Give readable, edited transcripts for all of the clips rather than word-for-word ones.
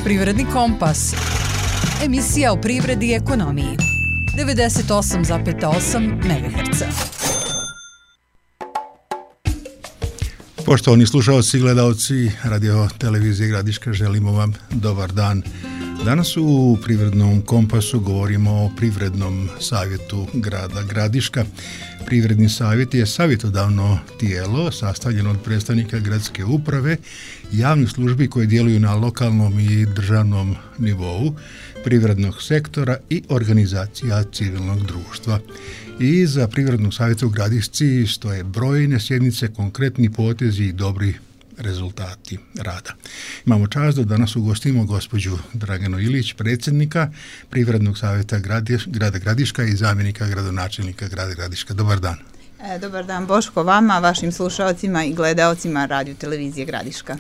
Privredni kompas. Emisija o privredi i ekonomiji. 98,8 MHz. Poštovani slušalci i gledalci Radio Televizije Gradiška, želimo vam dobar dan. Danas u Privrednom kompasu govorimo o Privrednom savjetu grada Gradiška. Privredni savjet je savjetodavno tijelo sastavljeno od predstavnika gradske uprave, javnih službi koje djeluju na lokalnom i državnom nivou, privrednog sektora i organizacija civilnog društva. I za Privrednog savjeta u Gradišci stoje brojne sjednice, konkretni potezi i dobri rezultati rada. Imamo čast da danas ugostimo gospođu Draganu Ilić, predsjednika Privrednog savjeta grada Gradiška i zamjenika gradonačelnika grada Gradiška. Dobar dan. Dobar dan Boško, vama, vašim slušalcima i gledaocima Radio Televizije Gradiška.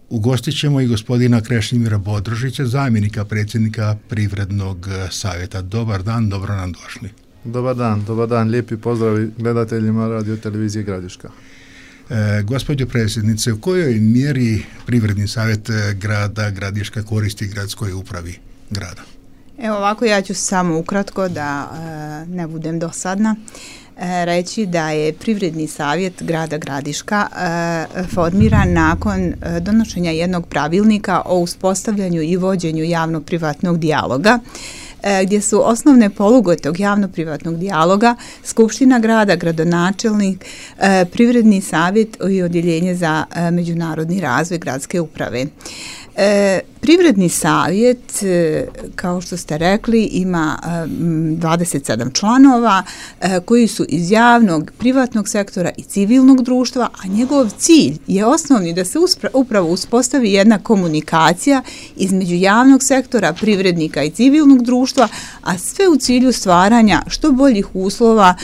Ugostit ćemo i gospodina Krešimira Bodrožića, zamjenika predsjednika Privrednog savjeta. Dobar dan, dobro nam došli. Dobar dan, lijepi pozdrav gledateljima Radio Televizije Gradiška. Gospođo predsjednice, u kojoj mjeri Privredni savjet grada Gradiška koristi gradskoj upravi grada? Evo ovako, ja ću samo ukratko da ne budem dosadna reći da je Privredni savjet grada Gradiška formiran nakon donošenja jednog pravilnika o uspostavljanju i vođenju javno-privatnog dijaloga, gdje su osnovne poluge tog javno-privatnog dijaloga Skupština grada, gradonačelnik, Privredni savjet i odjeljenje za međunarodni razvoj gradske uprave. Privredni savjet, kao što ste rekli, ima 27 članova koji su iz javnog, privatnog sektora i civilnog društva, a njegov cilj je osnovni da se upravo uspostavi jedna komunikacija između javnog sektora, privrednika i civilnog društva, a sve u cilju stvaranja što boljih uslova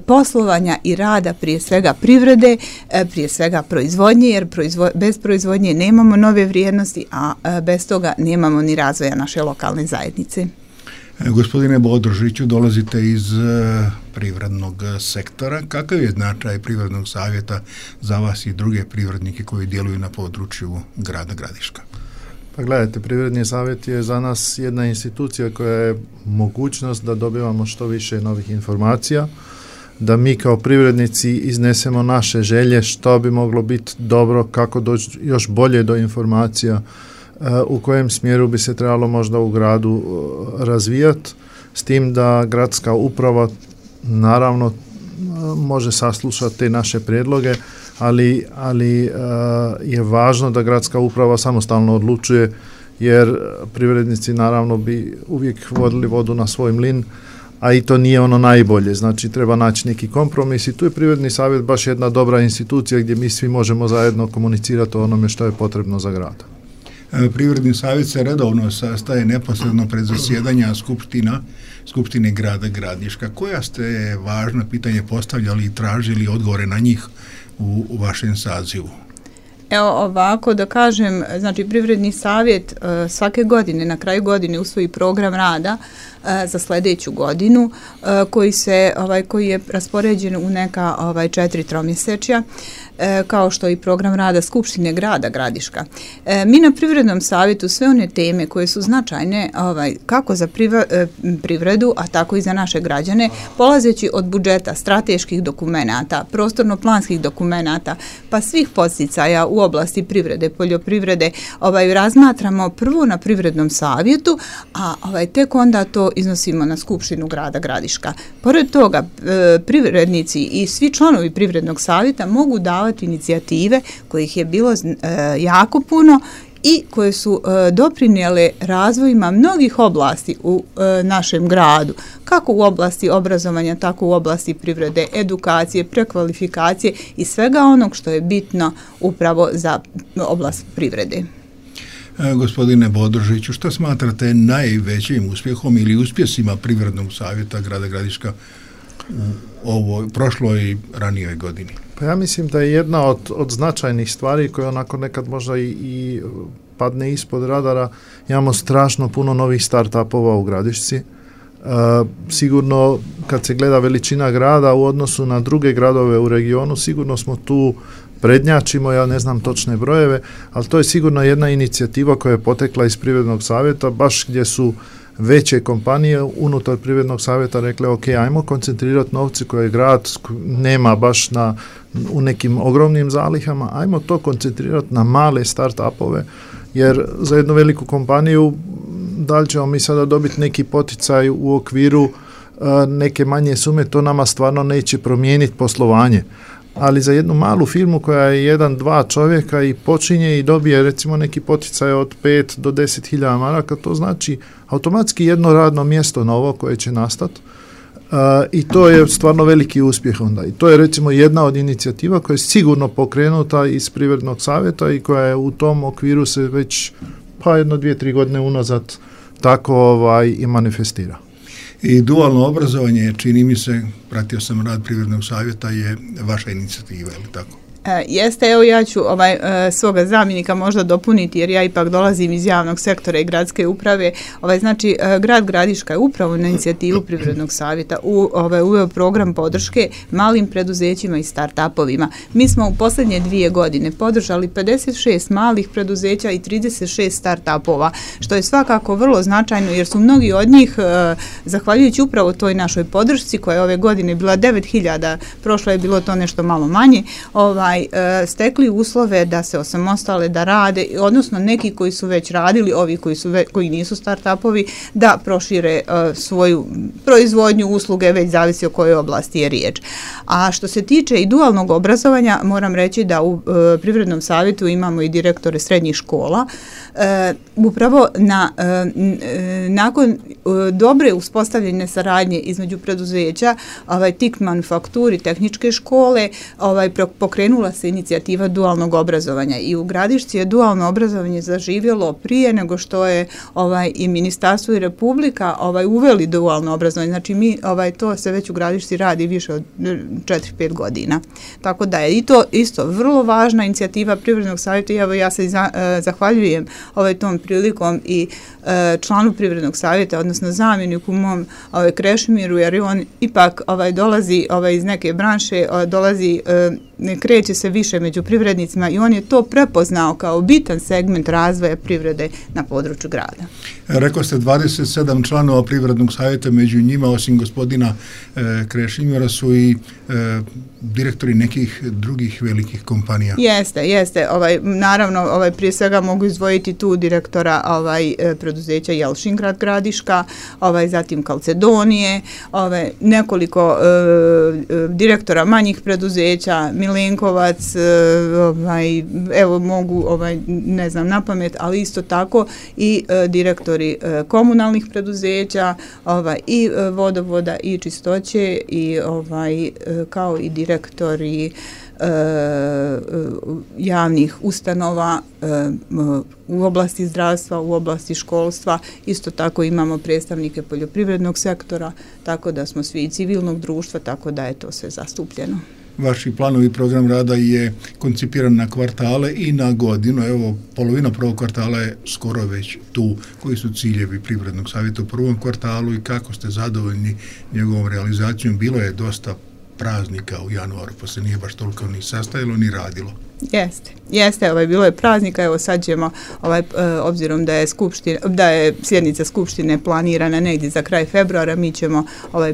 poslovanja i rada, prije svega privrede, prije svega proizvodnje, jer bez proizvodnje nemamo nove vrijednosti, a bez toga nemamo ni razvoja naše lokalne zajednice. Gospodine Bodrožiću, dolazite iz privrednog sektora. Kakav je značaj Privrednog savjeta za vas i druge privrednike koji djeluju na području grada Gradiška? Pa gledajte, Privredni savjet je za nas jedna institucija koja je mogućnost da dobivamo što više novih informacija, da mi kao privrednici iznesemo naše želje što bi moglo biti dobro, kako doći još bolje do informacija, u kojem smjeru bi se trebalo možda u gradu razvijati, s tim da gradska uprava naravno može saslušati te naše prijedloge, ali je važno da gradska uprava samostalno odlučuje, jer privrednici naravno bi uvijek vodili vodu na svoj mlin, a i to nije ono najbolje, znači treba naći neki kompromis i tu je Privredni savjet baš jedna dobra institucija gdje mi svi možemo zajedno komunicirati o onome što je potrebno za grad. Privredni savjet se redovno sastaje neposredno pred zasjedanja Skupštine grada Gradiška. Koja ste važna pitanja postavljali i tražili odgovore na njih u vašem sazivu? Evo ovako da kažem, znači Privredni savjet svake godine, na kraju godine usvoji program rada za sljedeću godinu koji je raspoređen u neka 4 tromjesečja, kao što i program rada Skupštine grada Gradiška. Mi na Privrednom savjetu sve one teme koje su značajne kako za privredu, a tako i za naše građane, polazeći od budžeta, strateških dokumenata, prostorno-planskih dokumenata, pa svih podsticaja u oblasti privrede, poljoprivrede, razmatramo prvo na Privrednom savjetu, a tek onda to iznosimo na Skupštinu grada Gradiška. Pored toga, privrednici i svi članovi Privrednog savjeta mogu davati inicijative kojih je bilo jako puno i koje su doprinijele razvojima mnogih oblasti u našem gradu, kako u oblasti obrazovanja, tako u oblasti privrede, edukacije, prekvalifikacije i svega onog što je bitno upravo za oblast privrede. Gospodine Bodrožiću, što smatrate najvećim uspjehom ili uspjesima Privrednog savjeta grada Gradiška u ovoj prošloj i ranijoj godini? Pa ja mislim da je jedna od značajnih stvari koja onako nekad možda i padne ispod radara. Imamo strašno puno novih start-upova u Gradišci. Sigurno kad se gleda veličina grada u odnosu na druge gradove u regionu, sigurno smo tu prednjačimo, ja ne znam točne brojeve, ali to je sigurno jedna inicijativa koja je potekla iz Privrednog savjeta, baš gdje su veće kompanije unutar Privrednog savjeta rekle ok, ajmo koncentrirati novce koje grad nema baš u nekim ogromnim zalihama, ajmo to koncentrirati na male start-upove, jer za jednu veliku kompaniju da li ćemo mi sada dobiti neki poticaj u okviru neke manje sume, to nama stvarno neće promijeniti poslovanje. Ali za jednu malu firmu koja je 1-2 čovjeka i počinje i dobije recimo neki poticaj od 5 do 10.000 maraka, to znači automatski jedno radno mjesto novo koje će nastati i to je stvarno veliki uspjeh onda. I to je recimo jedna od inicijativa koja je sigurno pokrenuta iz Privrednog savjeta i koja je u tom okviru se već 1-2-3 godine unazad tako i manifestira. I dualno obrazovanje, čini mi se, pratio sam rad Privrednog savjeta, je vaša inicijativa, je li tako? Jeste, evo ja ću svoga zamjenika možda dopuniti jer ja ipak dolazim iz javnog sektora i gradske uprave. Znači, grad Gradiška je upravo na inicijativu Privrednog savjeta uveo program podrške malim preduzećima i start-upovima. Mi smo u posljednje 2 godine podržali 56 malih preduzeća i 36 start-upova, što je svakako vrlo značajno jer su mnogi od njih, zahvaljujući upravo toj našoj podršci koja je ove godine bila 9.000, prošlo je bilo to nešto malo manje, stekli uslove da se osamostale, da rade, odnosno neki koji su već radili, ovi koji nisu start-upovi, da prošire svoju proizvodnju, usluge, već zavisi o kojoj oblasti je riječ. A što se tiče i dualnog obrazovanja, moram reći da u Privrednom savjetu imamo i direktore srednjih škola. Upravo nakon dobre uspostavljene saradnje između preduzeća, TIK manufakturi, tehničke škole, pokrenula se inicijativa dualnog obrazovanja i u Gradišci je dualno obrazovanje zaživjelo prije nego što je i ministarstvo i Republika uveli dualno obrazovanje. Znači mi to se već u Gradišci radi više od 4-5 godina. Tako da je i to isto vrlo važna inicijativa Privrednog savjeta i evo ja se zahvaljujem tom prilikom i članu Privrednog savjeta, odnosno zamjeniku mom Krešimiru, jer on ipak dolazi iz neke branše, dolazi, ne kreće se više među privrednicima i on je to prepoznao kao bitan segment razvoja privrede na području grada. Rekao ste 27 članova Privrednog savjeta, među njima osim gospodina Krešimira su i direktori nekih drugih velikih kompanija. Jeste. Naravno, prije svega mogu izdvojiti tu direktora preduzeća Jelšingrad Gradiška, zatim Kalcedonije, nekoliko direktora manjih preduzeća, Milenkovac, evo mogu, ne znam na pamet, ali isto tako i direktori komunalnih preduzeća, i vodovoda i čistoće i kao i direktori javnih ustanova u oblasti zdravstva, u oblasti školstva, isto tako imamo predstavnike poljoprivrednog sektora, tako da smo svi i civilnog društva, tako da je to sve zastupljeno. Vaši planovi program rada je koncipiran na kvartale i na godinu. Evo, polovina prvog kvartala je skoro već tu. Koji su ciljevi Privrednog savjeta u prvom kvartalu i kako ste zadovoljni njegovom realizacijom? Bilo je dosta praznika u januaru, pa se nije baš toliko ni sastajalo ni radilo. Jeste, bilo je praznika, evo sad ćemo, obzirom da je sjednica skupštine planirana negdje za kraj februara, mi ćemo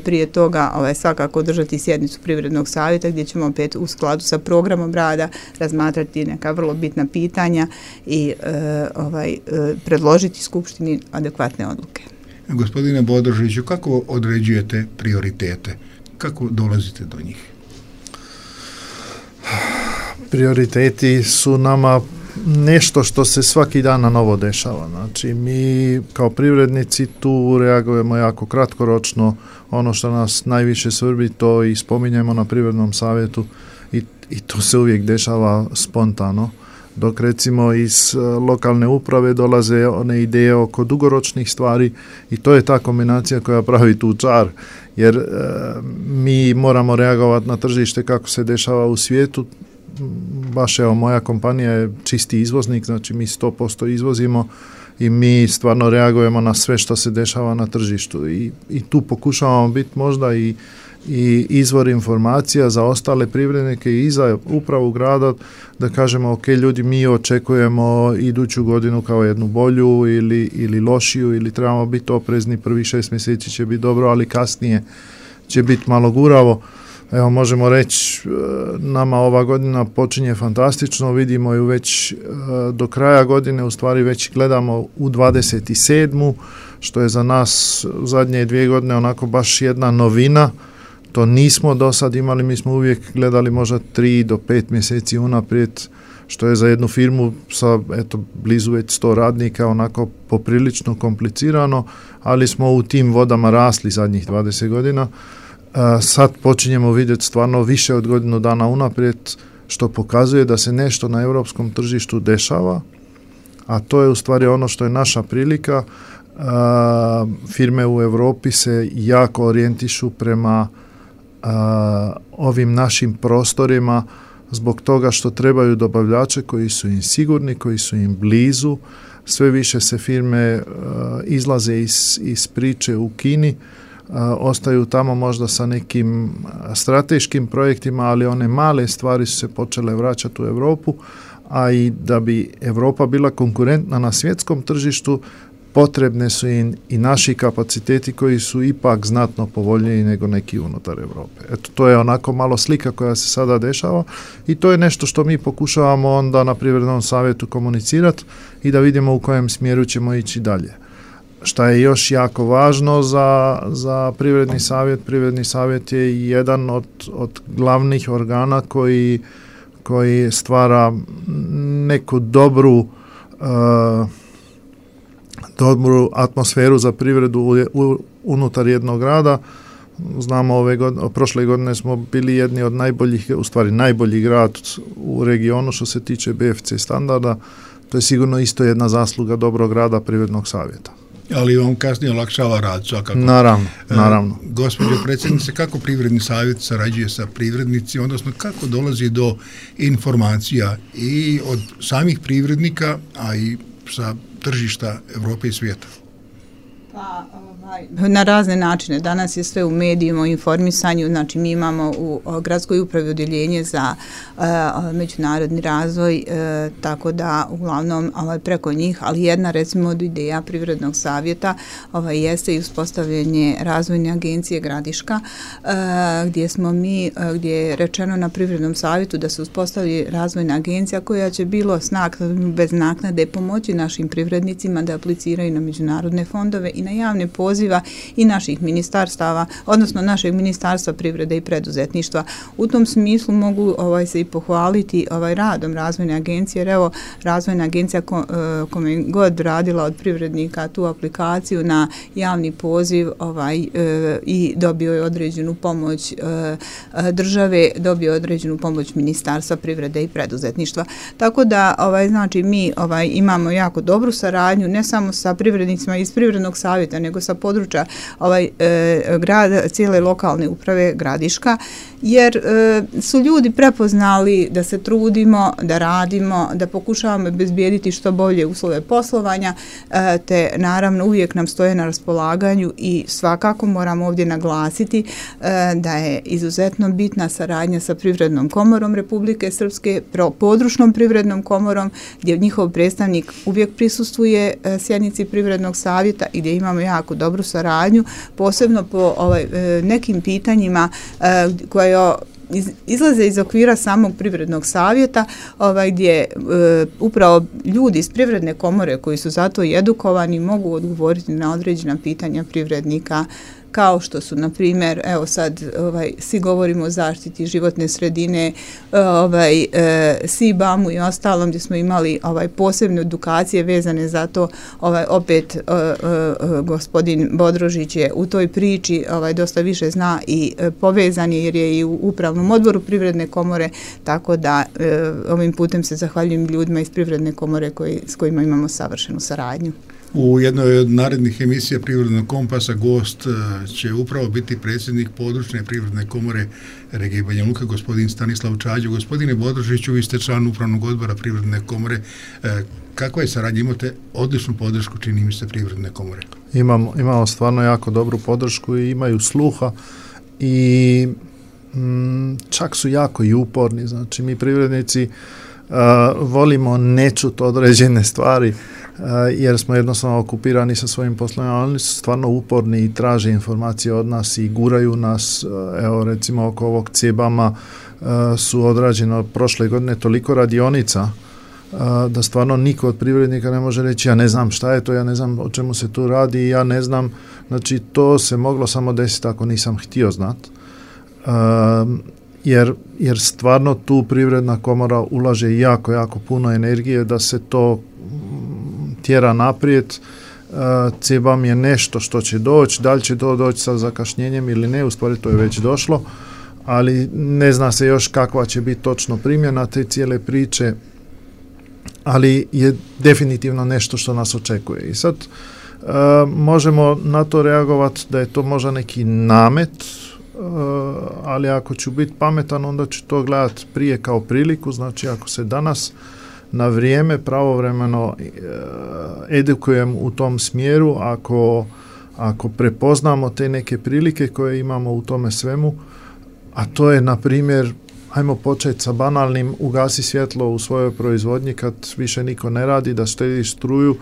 prije toga svakako održati sjednicu Privrednog savjeta gdje ćemo opet u skladu sa programom rada razmatrati neka vrlo bitna pitanja i predložiti skupštini adekvatne odluke. Gospodine Bodrožiću, kako određujete prioritete? Kako dolazite do njih? Prioriteti su nama nešto što se svaki dan na novo dešava. Znači, mi kao privrednici tu reagujemo jako kratkoročno. Ono što nas najviše svrbi, to i spominjemo na Privrednom savjetu i to se uvijek dešava spontano. Dok recimo iz lokalne uprave dolaze one ideje oko dugoročnih stvari i to je ta kombinacija koja pravi tu čar, jer mi moramo reagovati na tržište kako se dešava u svijetu. Baš evo, moja kompanija je čisti izvoznik, znači mi 100% izvozimo i mi stvarno reagujemo na sve što se dešava na tržištu i tu pokušavamo biti možda i i izvor informacija za ostale privrednike i za upravu grada, da kažemo ok, ljudi, mi očekujemo iduću godinu kao jednu bolju ili lošiju, ili trebamo biti oprezni, prvi 6 mjeseci će biti dobro, ali kasnije će biti malo guravo. Evo, možemo reći, nama ova godina počinje fantastično, vidimo ju već do kraja godine, u stvari već gledamo u 27. što je za nas u zadnje 2 godine onako baš jedna novina. To nismo do sad imali, mi smo uvijek gledali možda 3 do 5 mjeseci unaprijed, što je za jednu firmu sa blizu već 100 radnika onako poprilično komplicirano, ali smo u tim vodama rasli zadnjih 20 godina. Sad počinjemo vidjeti stvarno više od godinu dana unaprijed, što pokazuje da se nešto na europskom tržištu dešava, a to je u stvari ono što je naša prilika. Firme u Europi se jako orijentišu prema ovim našim prostorima zbog toga što trebaju dobavljače koji su im sigurni, koji su im blizu. Sve više se firme izlaze iz priče u Kini, ostaju tamo možda sa nekim strateškim projektima, ali one male stvari su se počele vraćati u Europu, a i da bi Europa bila konkurentna na svjetskom tržištu, potrebne su im i naši kapaciteti koji su ipak znatno povoljniji nego neki unutar Europe. Eto, to je onako malo slika koja se sada dešava i to je nešto što mi pokušavamo onda na Privrednom savjetu komunicirati i da vidimo u kojem smjeru ćemo ići dalje. Šta je još jako važno za Privredni savjet? Privredni savjet je jedan od glavnih organa koji stvara neku dobru atmosferu za privredu unutar jednog grada. Znamo, prošle godine smo bili jedni od najboljih, u stvari najbolji grad u regionu što se tiče BFC standarda. To je sigurno isto jedna zasluga dobrog rada Privrednog savjeta. Ali vam kasnije olakšava rad, svakako. Naravno. Gospođo predsjednice, kako Privredni savjet sarađuje sa privrednicima, odnosno kako dolazi do informacija i od samih privrednika, a i sa tržišta Europe i svijeta? Pa, na razne načine. Danas je sve u medijima, u informisanju, znači mi imamo u gradskoj upravi odjeljenje za međunarodni razvoj, tako da uglavnom preko njih, ali jedna recimo od ideja Privrednog savjeta jeste i uspostavljanje razvojne agencije Gradiška, gdje je rečeno na Privrednom savjetu da se uspostavi razvojna agencija koja će bilo bez naknade pomoći našim privrednicima da apliciraju na međunarodne fondove i na javne poziva i naših ministarstava, odnosno našeg Ministarstva privrede i preduzetništva. U tom smislu mogu se i pohvaliti radom razvojne agencije, jer evo razvojna agencija kome god radila od privrednika tu aplikaciju na javni poziv i dobio je određenu pomoć države, dobio je određenu pomoć Ministarstva privrede i preduzetništva. Tako da znači mi imamo jako dobru saradnju ne samo sa privrednicima iz Privrednog savjeta, nego sa područja grada, cijele lokalne uprave Gradiška, jer su ljudi prepoznali da se trudimo, da radimo, da pokušavamo obezbijediti što bolje uslove poslovanja, te naravno uvijek nam stoje na raspolaganju i svakako moramo ovdje naglasiti da je izuzetno bitna saradnja sa Privrednom komorom Republike Srpske, područnom Privrednom komorom, gdje njihov predstavnik uvijek prisustvuje sjednici Privrednog savjeta i gdje imamo jako dobru saradnju, posebno po nekim pitanjima koje izlaze iz okvira samog Privrednog savjeta, gdje upravo ljudi iz Privredne komore koji su zato i edukovani mogu odgovoriti na određena pitanja privrednika, kao što su, na primjer, evo sad svi govorimo o zaštiti životne sredine, SIBAM-u i ostalom, gdje smo imali posebne edukacije vezane za to. Opet gospodin Bodrožić je u toj priči dosta više zna i povezan je, jer je i u upravnom odboru Privredne komore, tako da ovim putem se zahvaljujem ljudima iz Privredne komore s kojima imamo savršenu saradnju. U jednoj od narednih emisija Privrednog kompasa gost će upravo biti predsjednik područne Privredne komore regije Banja Luka, gospodin Stanislav Čađo. Gospodine Bodrožiću, vi ste član upravnog odbora Privredne komore. Kakva je saradnja? Imate odličnu podršku, čini mi se, Privredne komore. Imamo stvarno jako dobru podršku i imaju sluha i čak su jako i uporni. Znači mi privrednici volimo nečut određene stvari jer smo jednostavno okupirani sa svojim poslovima, ali oni su stvarno uporni i traže informacije od nas i guraju nas. Evo recimo oko ovog CEBAM-a su odrađeno prošle godine toliko radionica da stvarno niko od privrednika ne može reći ja ne znam šta je to, ja ne znam o čemu se tu radi, ja ne znam. Znači to se moglo samo desiti ako nisam htio znati. Jer stvarno tu Privredna komora ulaže jako puno energije da se to tjera naprijed. CEBAM je nešto što će doći, da li će to doći sa zakašnjenjem ili ne, u stvari to je već došlo, ali ne zna se još kakva će biti točno primjena te cijele priče, ali je definitivno nešto što nas očekuje. I sad možemo na to reagovati da je to možda neki namet, ali ako ću biti pametan, onda ću to gledati prije kao priliku. Znači ako se danas na vrijeme pravovremeno edukujem u tom smjeru, ako prepoznamo te neke prilike koje imamo u tome svemu, a to je na primjer, ajmo početi sa banalnim, ugasi svjetlo u svojoj proizvodnji kad više niko ne radi, da štediš struju.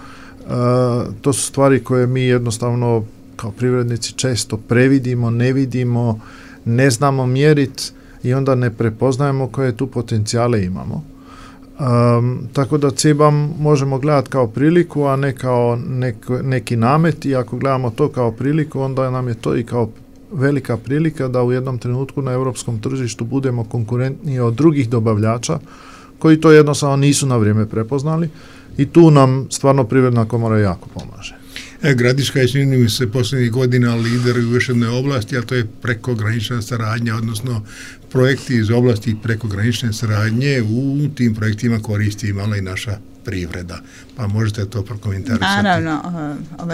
To su stvari koje mi jednostavno kao privrednici često previdimo, ne vidimo, ne znamo mjeriti i onda ne prepoznajemo koje tu potencijale imamo. Tako da CEBAM možemo gledati kao priliku, a ne kao neki namet, i ako gledamo to kao priliku, onda nam je to i kao velika prilika da u jednom trenutku na europskom tržištu budemo konkurentniji od drugih dobavljača koji to jednostavno nisu na vrijeme prepoznali, i tu nam stvarno Privredna komora jako pomaže. Gradiška je, čini mi se, posljednjih godina lider u još jednoj oblasti, a to je prekogranična saradnja, odnosno projekti iz oblasti prekogranične saradnje. U tim projektima koristi imala i naša privreda. Pa možete to prokomentarisati? Naravno,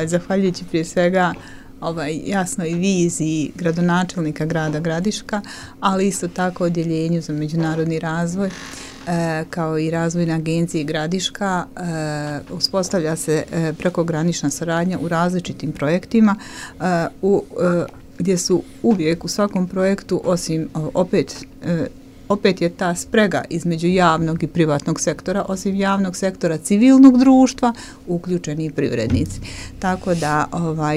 zahvaljujući prije svega jasnoj viziji gradonačelnika grada Gradiška, ali isto tako odjeljenju za međunarodni razvoj, kao i razvojna agencija Gradiška, uspostavlja se prekogranična saradnja u različitim projektima, gdje su uvijek u svakom projektu, osim opet je ta sprega između javnog i privatnog sektora, osim javnog sektora civilnog društva, uključeni i privrednici. Tako da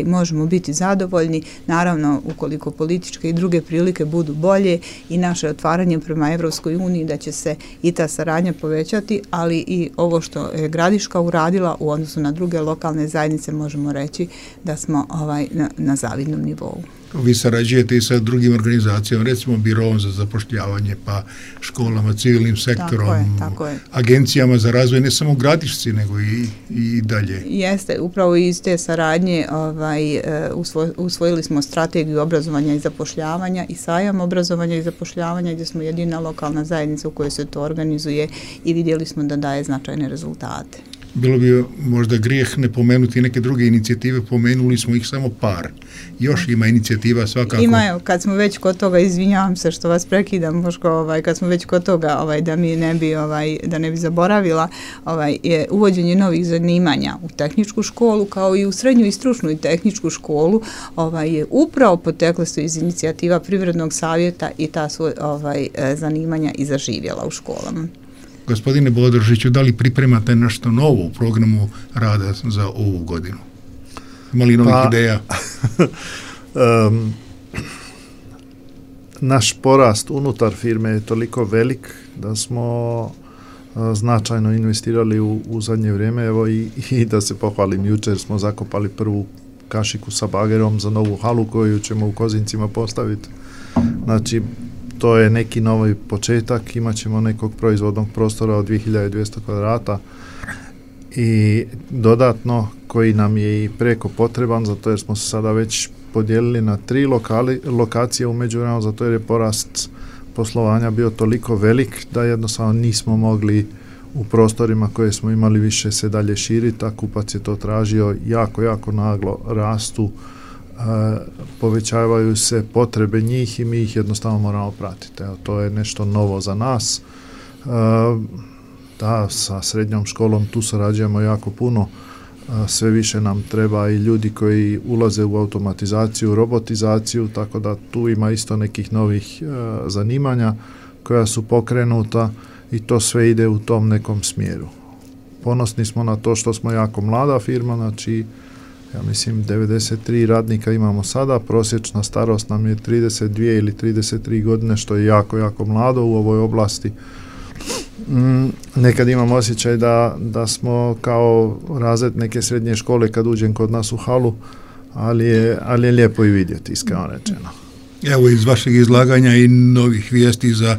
možemo biti zadovoljni, naravno ukoliko političke i druge prilike budu bolje i naše otvaranje prema Evropskoj uniji, da će se i ta saradnja povećati, ali i ovo što je Gradiška uradila u odnosu na druge lokalne zajednice, možemo reći da smo na zavidnom nivou. Vi sarađujete i sa drugim organizacijama, recimo Birovom za zapošljavanje, pa školama, civilnim sektorom, tako je. Agencijama za razvoj, ne samo Gradišci, nego i dalje. Jeste, upravo iz te saradnje usvojili smo strategiju obrazovanja i zapošljavanja i sajam obrazovanja i zapošljavanja, gdje smo jedina lokalna zajednica u kojoj se to organizuje i vidjeli smo da daje značajne rezultate. Bilo bi možda grijeh ne pomenuti neke druge inicijative, pomenuli smo ih samo par. Još ima inicijativa svakako. Ima, kad smo već kod toga, izvinjavam se što vas prekidam, Boško, kad smo već kod toga, da ne bi zaboravila, je uvođenje novih zanimanja u tehničku školu, kao i u srednju i stručnu i tehničku školu, je upravo potekle su iz inicijativa Privrednog savjeta i ta su zanimanja i zaživjela u školama. Gospodine Bodrožiću, da li pripremate nešto novo u programu rada za ovu godinu? Ima li novih ideja? Naš porast unutar firme je toliko velik da smo značajno investirali u zadnje vrijeme. Evo i da se pohvalim, jučer smo zakopali prvu kašiku sa bagerom za novu halu koju ćemo u Kozincima postaviti. Znači, to je neki novi početak, imat ćemo nekog proizvodnog prostora od 2200 kvadrata i dodatno koji nam je i preko potreban, zato jer smo se sada već podijelili na 3 lokacije u međuvremenu, zato jer je porast poslovanja bio toliko velik da jednostavno nismo mogli u prostorima koje smo imali više se dalje širiti, a kupac je to tražio. Jako naglo rastu, povećavaju se potrebe njih i mi ih jednostavno moramo pratiti. Evo, to je nešto novo za nas. Da, sa srednjom školom tu sarađujemo jako puno. sve više nam treba i ljudi koji ulaze u automatizaciju, robotizaciju, tako da tu ima isto nekih novih zanimanja koja su pokrenuta i to sve ide u tom nekom smjeru. Ponosni smo na to što smo jako mlada firma, znači ja mislim 93 radnika imamo sada, prosječna starost nam je 32 ili 33 godine, što je jako, jako mlado u ovoj oblasti. Nekad imam osjećaj da smo kao razred neke srednje škole kad uđem kod nas u halu, ali je lijepo i vidjeti, iskreno rečeno. Evo iz vašeg izlaganja i novih vijesti za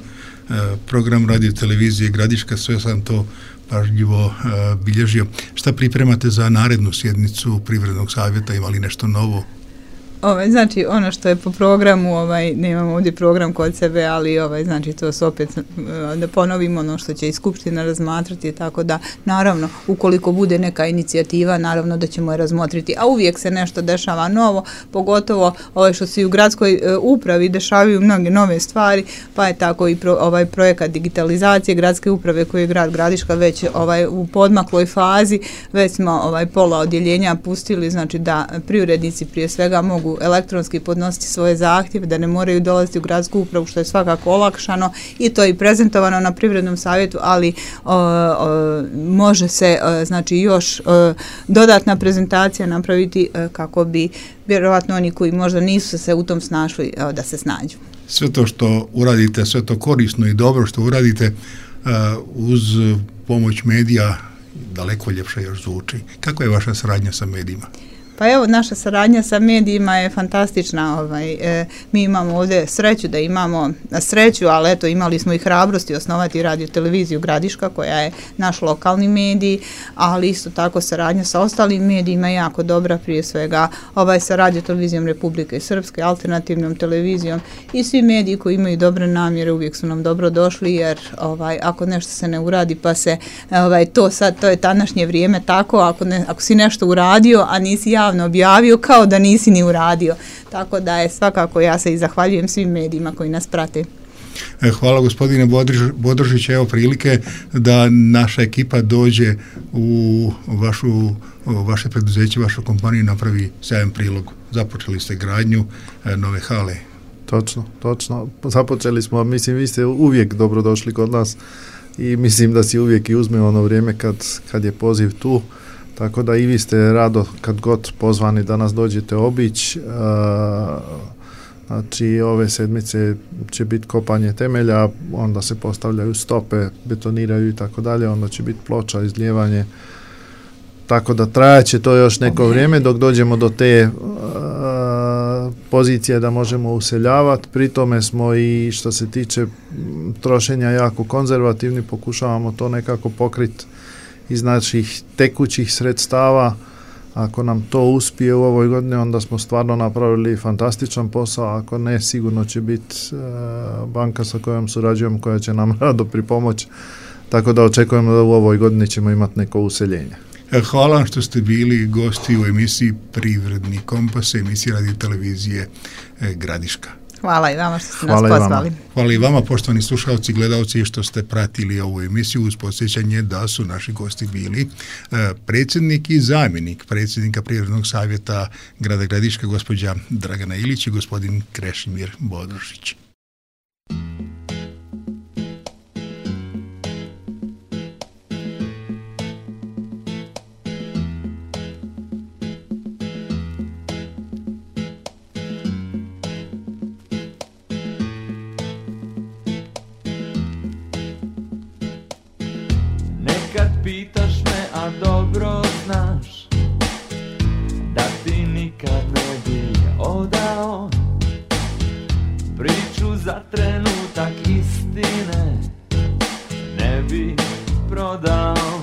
program radio televizije Gradiška, sve sam to pažljivo bilježio. Šta pripremate za narednu sjednicu Privrednog savjeta, ima li nešto novo? Znači ono što je po programu, nemamo ovdje program kod sebe, ali znači to su opet da ponovimo ono što će i Skupština razmatrati, tako da naravno ukoliko bude neka inicijativa, naravno da ćemo je razmotriti, a uvijek se nešto dešava novo, pogotovo što se i u gradskoj upravi dešavaju mnoge nove stvari, pa je tako i projekat digitalizacije gradske uprave koji je grad Gradiška već u podmakloj fazi, već smo pola odjeljenja pustili, znači da privrednici prije svega mogu elektronski podnositi svoje zahtjeve, da ne moraju dolaziti u gradsku upravu, što je svakako olakšano i to je prezentovano na Privrednom savjetu, ali može se znači još dodatna prezentacija napraviti kako bi vjerojatno oni koji možda nisu se u tom snašli da se snađu. Sve to što uradite, sve to korisno i dobro što uradite uz pomoć medija daleko ljepše još zvuči. Kako je vaša saradnja sa medijima? Pa evo, naša saradnja sa medijima je fantastična. Mi imamo ovdje sreću da imamo sreću, ali eto, imali smo i hrabrosti osnovati radio televiziju Gradiška, koja je naš lokalni medij, ali isto tako saradnja sa ostalim medijima je jako dobra, prije svega sa radio televizijom Republike Srpske, alternativnom televizijom i svi mediji koji imaju dobre namjere uvijek su nam dobro došli, jer ako nešto se ne uradi pa se to je današnje vrijeme tako, ako si nešto uradio, a nisi javno objavio, kao da nisi ni uradio. Tako da je svakako, ja se i zahvaljujem svim medijima koji nas prate. Hvala gospodine Bodržić, evo prilike da naša ekipa dođe u vaše preduzeće, vašu kompaniju, napravi sjajan prilog. Započeli ste gradnju nove hale. Točno. Započeli smo, mislim, vi ste uvijek dobrodošli kod nas i mislim da si uvijek i uzme ono vrijeme kad je poziv tu. Tako da i vi ste rado kad god pozvani da nas dođete obići. Znači ove sedmice će biti kopanje temelja, onda se postavljaju stope, betoniraju i tako dalje, onda će biti ploča, izlijevanje. Tako da trajaće to još neko vrijeme dok dođemo do te pozicije da možemo useljavati. Pri tome smo i što se tiče trošenja jako konzervativni, pokušavamo to nekako pokriti iz naših tekućih sredstava. Ako nam to uspije u ovoj godini, onda smo stvarno napravili fantastičan posao, ako ne, sigurno će biti banka sa kojom surađujemo koja će nam rado pripomoći, tako da očekujemo da u ovoj godini ćemo imati neko useljenje. Hvala vam što ste bili gosti u emisiji Privredni kompas, emisiji radio televizije Gradiška. Hvala i vama što ste nas pozvali. Hvala i vama, poštovani slušalci i gledalci, što ste pratili ovu emisiju, uz podsjećanje da su naši gosti bili predsjednik i zamjenik predsjednika Privrednog savjeta grada Gradiška, gospođa Dragana Ilić i gospodin Krešimir Bodržić. Pitaš me, a dobro znaš da ti nikad ne bi odao priču za trenutak istine, ne bi prodao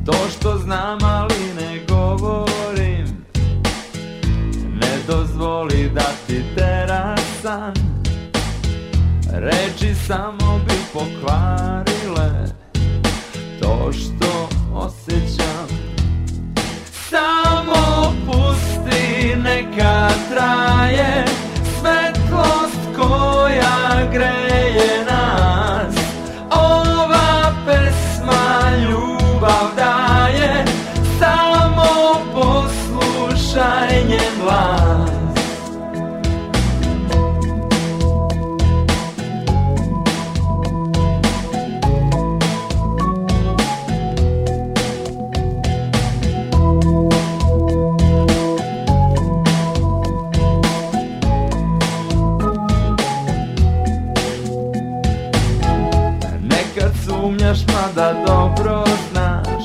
to što znam, ali ne govorim. Ne dozvoli da ti tera san, reči samo bi pokvarile to što osjećam. Samo pusti, neka traje svetlost koja greje nas. Ova pesma ljubav kad sumnjaš, mada dobro znaš,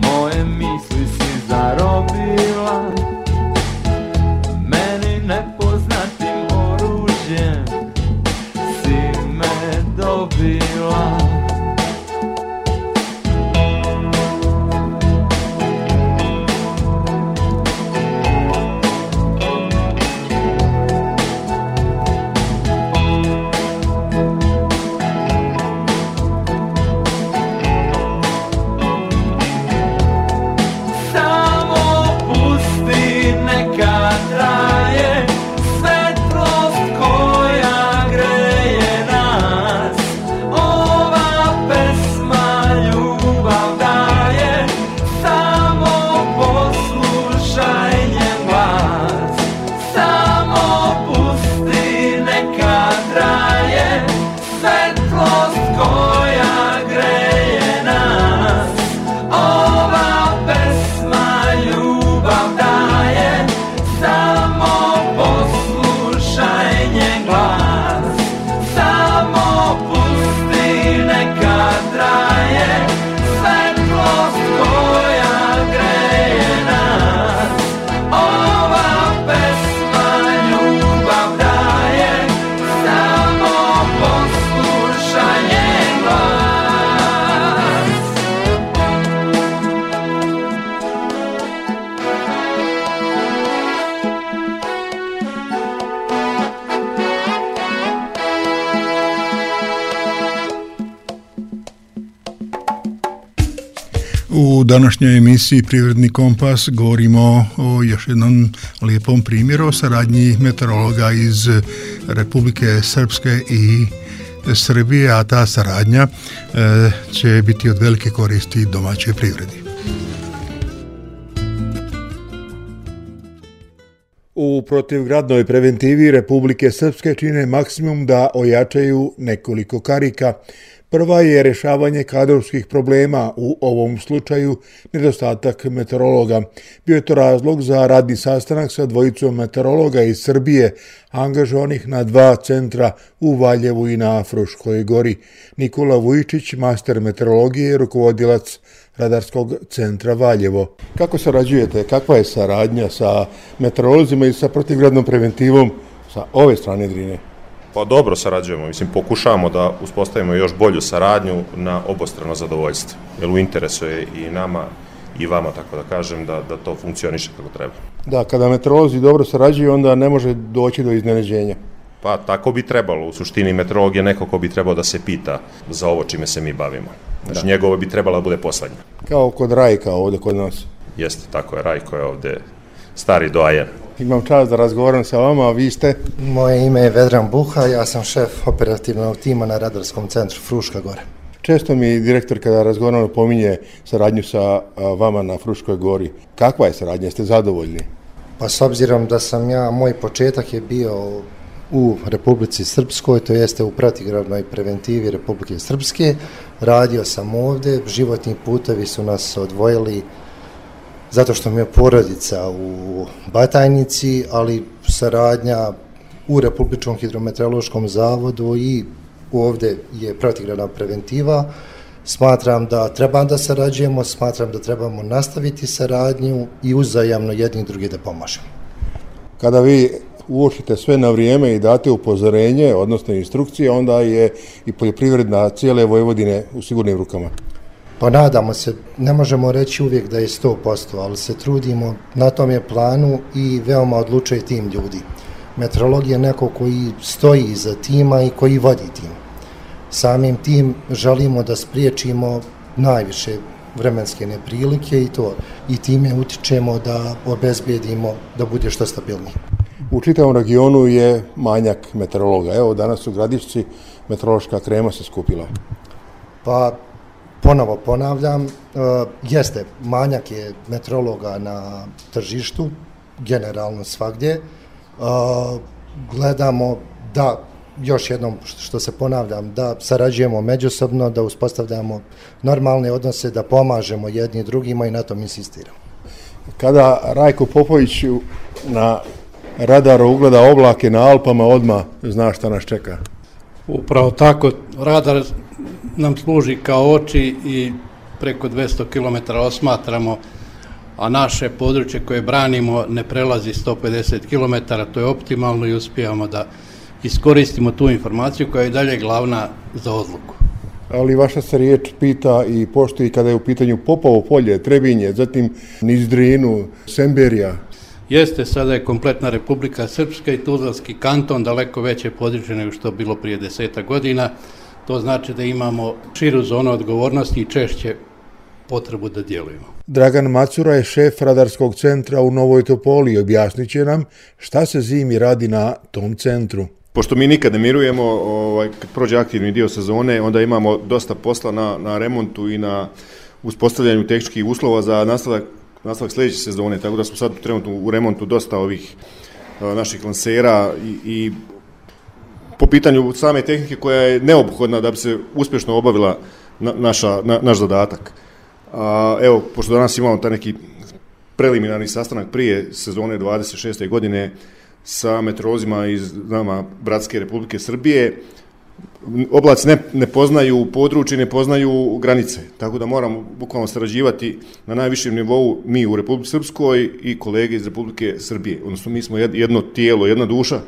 moje misli si zarobila, meni nepoznatim oružjem si me dobila. U današnjoj emisiji Privredni kompas govorimo o još jednom lijepom primjeru o saradnji meteorologa iz Republike Srpske i Srbije, a ta saradnja će biti od velike koristi domaćoj privredi. U protivgradnoj preventivi Republike Srpske čine maksimum da ojačaju nekoliko karika. Prva je rješavanje kadrovskih problema, u ovom slučaju nedostatak meteorologa. Bio je to razlog za radni sastanak sa dvojicom meteorologa iz Srbije, angažovanih na 2 centra u Valjevu i na Fruškoj gori. Nikola Vujčić, master meteorologije i rukovodilac Radarskog centra Valjevo. Kako sarađujete? Kakva je saradnja sa meteorolozima i sa protivgradnom preventivom sa ove strane Drine? Pa dobro sarađujemo, pokušavamo da uspostavimo još bolju saradnju na obostrano zadovoljstvo, jer u interesu je i nama i vama, tako da kažem, da to funkcioniše kako treba. Da, kada meteorolozi dobro sarađuju, onda ne može doći do iznenađenja. Pa tako bi trebalo, u suštini meteorolog je neko ko bi trebao da se pita za ovo čime se mi bavimo. Znači njegovo bi trebalo da bude poslednje. Kao kod Rajka ovdje kod nas. Jeste, tako je, Rajko je ovdje stari doajen. Imam čast da razgovaram sa vama, a vi ste? Moje ime je Vedran Buha, ja sam šef operativnog tima na Radarskom centru Fruška Gora. Često mi direktor kada razgovaramo pominje saradnju sa vama na Fruškoj gori. Kakva je saradnja? Ste zadovoljni? Pa s obzirom da sam moj početak je bio u Republici Srpskoj, to jeste u protivgradnoj preventivi Republike Srpske. Radio sam ovdje, životni putevi su nas odvojili zato što mi je porodica u Batajnici, ali saradnja u Republičkom hidrometeorološkom zavodu i ovdje je protivgradna preventiva. Smatram da treba da sarađujemo, smatram da trebamo nastaviti saradnju i uzajamno jedni drugi da pomažemo. Kada vi uočite sve na vrijeme i date upozorenje, odnosno instrukcije, onda je i poljoprivredna cijele Vojvodine u sigurnim rukama. Pa nadamo se, ne možemo reći uvijek da je 100%, ali se trudimo, na tom je planu i veoma odlučuje tim ljudi. Meteorolog je neko koji stoji iza tima i koji vodi tim. Samim tim želimo da spriječimo najviše vremenske neprilike i to. I time utičemo da obezbijedimo da bude što stabilnije. U čitavom regionu je manjak meteorologa. Evo danas u Gradišci meteorološka krema se skupila. Pa ponovo ponavljam, jeste, manjak je meteorologa na tržištu, generalno svagdje. Gledamo da, još jednom što se ponavljam, da sarađujemo međusobno, da uspostavljamo normalne odnose, da pomažemo jedni drugima i na tom insistiramo. Kada Rajko Popović na radaru ugleda oblake na Alpama, odmah zna šta nas čeka. Upravo tako, radar nam služi kao oči i preko 200 km osmatramo, a naše područje koje branimo ne prelazi 150 km, to je optimalno i uspijamo da iskoristimo tu informaciju koja je dalje glavna za odluku. Ali vaša se riječ pita i poštuje kada je u pitanju Popovo polje, Trebinje, zatim niz Drinu, Semberija. Jeste, sada je kompletna Republika Srpska i Tuzlanski kanton daleko veće područje nego što je bilo prije 10 godina. To znači da imamo širu zonu odgovornosti i češće potrebu da djelujemo. Dragan Macura je šef radarskog centra u Novoj Topoli i objasnit će nam šta se zimi radi na tom centru. Pošto mi nikad ne mirujemo, kad prođe aktivni dio sezone, onda imamo dosta posla na remontu i na uspostavljanju tehničkih uslova za nastavak sljedeće sezone, tako da smo sad trenutno u remontu dosta ovih naših lansera i po pitanju same tehnike koja je neophodna da bi se uspješno obavila naš zadatak. Evo, pošto danas imamo taj neki preliminarni sastanak prije sezone 26. godine sa meteorolozima iz nama bratske Republike Srbije, oblaci ne poznaju područje, ne poznaju granice, tako da moramo bukvalno sarađivati na najvišem nivou mi u Republici Srpskoj i kolege iz Republike Srbije. Odnosno mi smo jedno tijelo, jedna duša,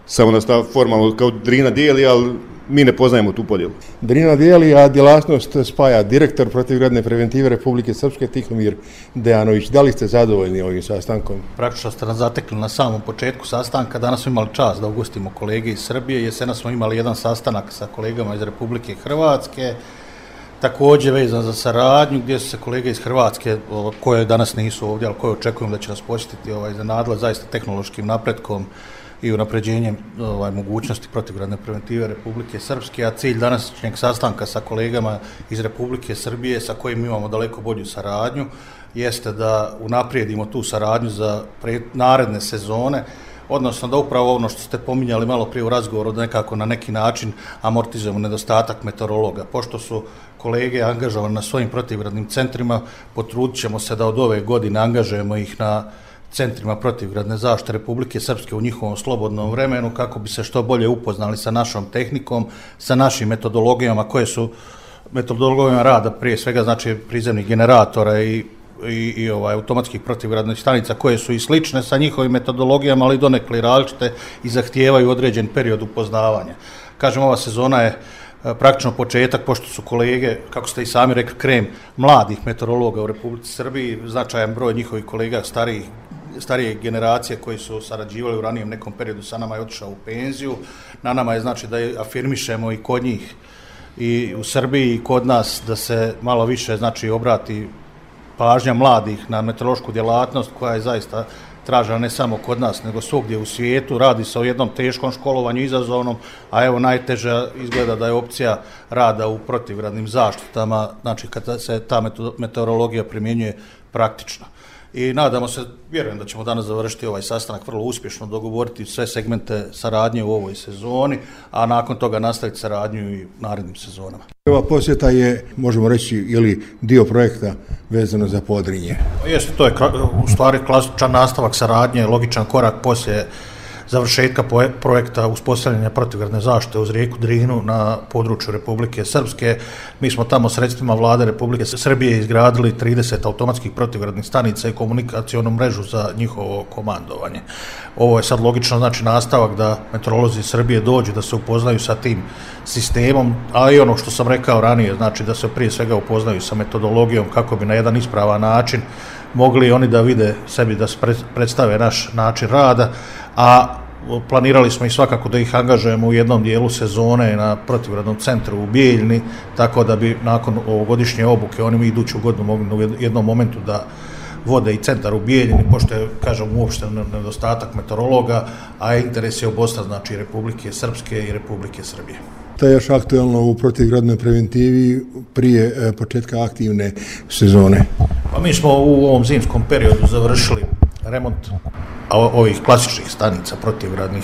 samo da stav formalno kao Drina dijeli, ali mi ne poznajemo tu podjelu. Drina dijeli, a djelatnost spaja direktor protivgradne preventive Republike Srpske Tihomir Dejanović. Da li ste zadovoljni ovim sastankom? Praktično ste nas zatekli na samom početku sastanka. Danas smo imali čast da ugostimo kolege iz Srbije. Jesena smo imali jedan sastanak sa kolegama iz Republike Hrvatske, također vezan za saradnju, gdje su se kolege iz Hrvatske, koje danas nisu ovdje, ali koje očekujem da će nas posjetiti, iznenadile zaista tehnološkim napretkom i unapređenjem mogućnosti protivgradne preventive Republike Srpske, a cilj današnjeg sastanka sa kolegama iz Republike Srbije, sa kojim imamo daleko bolju saradnju, jeste da unaprijedimo tu saradnju za naredne sezone, odnosno da upravo ono što ste pominjali malo prije u razgovoru, da nekako na neki način amortizujemo nedostatak meteorologa. Pošto su kolege angažovani na svojim protivgradnim centrima, potrudit ćemo se da od ove godine angažujemo ih na centrima protivgradne zaštite Republike Srpske u njihovom slobodnom vremenu, kako bi se što bolje upoznali sa našom tehnikom, sa našim metodologijama, koje su metodologijama rada, prije svega znači prizemnih generatora i automatskih protivgradnih stanica, koje su i slične sa njihovim metodologijama, ali donekle različite i zahtijevaju određen period upoznavanja. Kažem, ova sezona je praktično početak, pošto su kolege, kako ste i sami rekli, krem mladih meteorologa u Republici Srbiji, značajan broj njihovih kolega starije generacije koji su sarađivali u ranijem nekom periodu sa nama je otišao u penziju. Na nama je znači da afirmišemo i kod njih i u Srbiji i kod nas da se malo više znači obrati pažnja mladih na meteorološku djelatnost koja je zaista tražena ne samo kod nas, nego svugdje u svijetu. Radi se o jednom teškom školovanju, izazovnom, a evo najteža izgleda da je opcija rada u protivgradnim zaštitama, znači kada se ta meteorologija primjenjuje praktično. I nadamo se, vjerujem da ćemo danas završiti ovaj sastanak vrlo uspješno, dogovoriti sve segmente saradnje u ovoj sezoni, a nakon toga nastaviti saradnju i u narednim sezonama. Ova posjeta je, možemo reći, dio projekta vezano za Podrinje. Jeste, to je u stvari klasičan nastavak saradnje, logičan korak poslije završetka projekta uspostavljanja protivgradne zaštite uz rijeku Drinu na području Republike Srpske. Mi smo tamo sredstvima vlade Republike Srbije izgradili 30 automatskih protivgradnih stanica i komunikacionu mrežu za njihovo komandovanje. Ovo je sad logično znači nastavak da meteorolozi Srbije dođu, da se upoznaju sa tim sistemom, a i ono što sam rekao ranije, znači da se prije svega upoznaju sa metodologijom kako bi na jedan ispravan način mogli oni da vide sebi, da se predstave naš način rada, a planirali smo i svakako da ih angažujemo u jednom dijelu sezone na protivgradnom centru u Bijeljni, tako da bi nakon ovogodišnje obuke oni iduću godinu mogli u jednom momentu da vode i centar u Bijeljini, pošto je, kažem, uopšte nedostatak meteorologa, a interes je obostrani, znači Republike Srpske i Republike Srbije. To je još aktualno u protivgradnoj preventivi prije početka aktivne sezone. Pa mi smo u ovom zimskom periodu završili remont ovih klasičnih stanica protivgradnih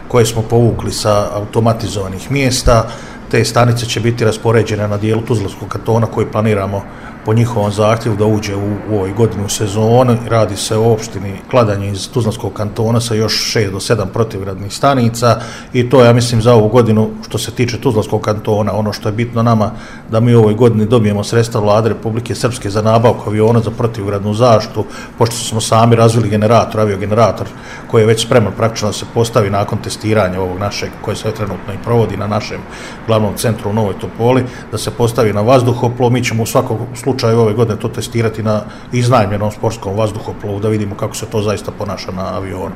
koje smo povukli sa automatizovanih mjesta. Te stanice će biti raspoređene na dijelu Tuzlanskog kantona koji planiramo po njihovom zahtjevu da uđe u ovoj godini u sezonu. Radi se o opštini Kladanje iz Tuzlanskog kantona sa još 6 do 7 protivgradnih stanica i to ja mislim za ovu godinu što se tiče Tuzlanskog kantona. Ono što je bitno nama da mi u ovoj godini dobijemo sredstva Vlade Republike Srpske za nabavku aviona za protivgradnu zaštitu, pošto smo sami razvili generator, aviogenerator koji je već spreman praktično da se postavi nakon testiranja ovog našeg koje se trenutno i provodi na našem glavnom centru u Novoj Topoli, da se postavi na vazduhoplov. Mi ćemo u svakom slučaju ove godine to testirati na iznajmljenom sportskom vazduhoplovu da vidimo kako se to zaista ponaša na avionu.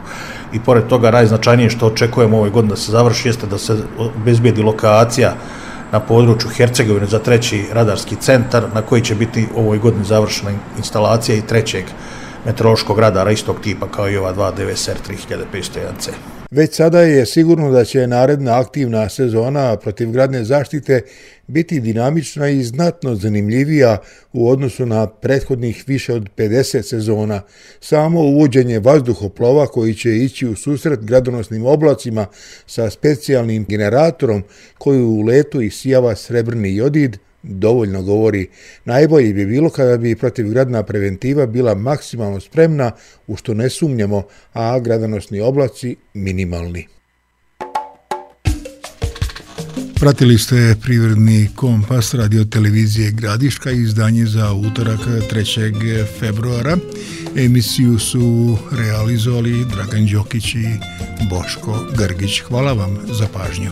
I pored toga najznačajnije što očekujemo ove godine da se završi jeste da se obezbijedi lokacija na području Hercegovine za 3. radarski centar na koji će biti u ovoj godini završena instalacija i 3. meteorološkog radara istog tipa kao i ova 2 DVSR 3501C. Već sada je sigurno da će naredna aktivna sezona protivgradne zaštite biti dinamična i znatno zanimljivija u odnosu na prethodnih više od 50 sezona. Samo uvođenje vazduhoplova koji će ići u susret gradonosnim oblacima sa specijalnim generatorom koji u letu isijava srebrni jodid dovoljno govori. Najbolje bi bilo kada bi protivgradna preventiva bila maksimalno spremna, u što ne sumnjamo, a gradonosni oblaci minimalni. Pratili ste Privredni kompas radio televizije Gradiška, izdanje za utorak 3. februara. Emisiju su realizovali Dragan Đokić i Boško Grgić. Hvala vam za pažnju.